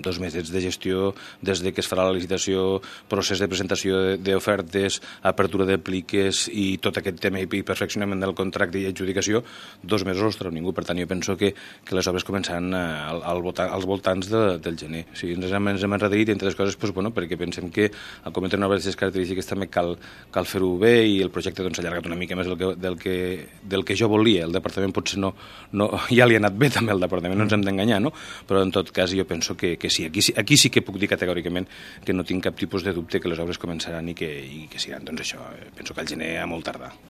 2 mesos de gestió, des de que es farà la licitació, procés de presentació d'ofertes, apertura de pliques i tot aquest tema i perfeccionament del contracte i adjudicació, 2 mesos els treu ningú. Per tant, jo penso que les obres començaran als voltants del gener. O sigui, ens hem endarrerit, entre altres coses, perquè pensem que al cometre una obra d'aquestes característiques també cal fer-ho bé i el projecte s'ha allargat una mica més del que jo volia. El departament potser no ja li ha anat bé també al departament, no ens hem d'enganyar, no? Però en tot cas jo penso que sí. Aquí sí que puc dir categòricament que no tinc cap tipus de dubte que les obres començaran i que seran, doncs això, penso que al gener a molt tardar.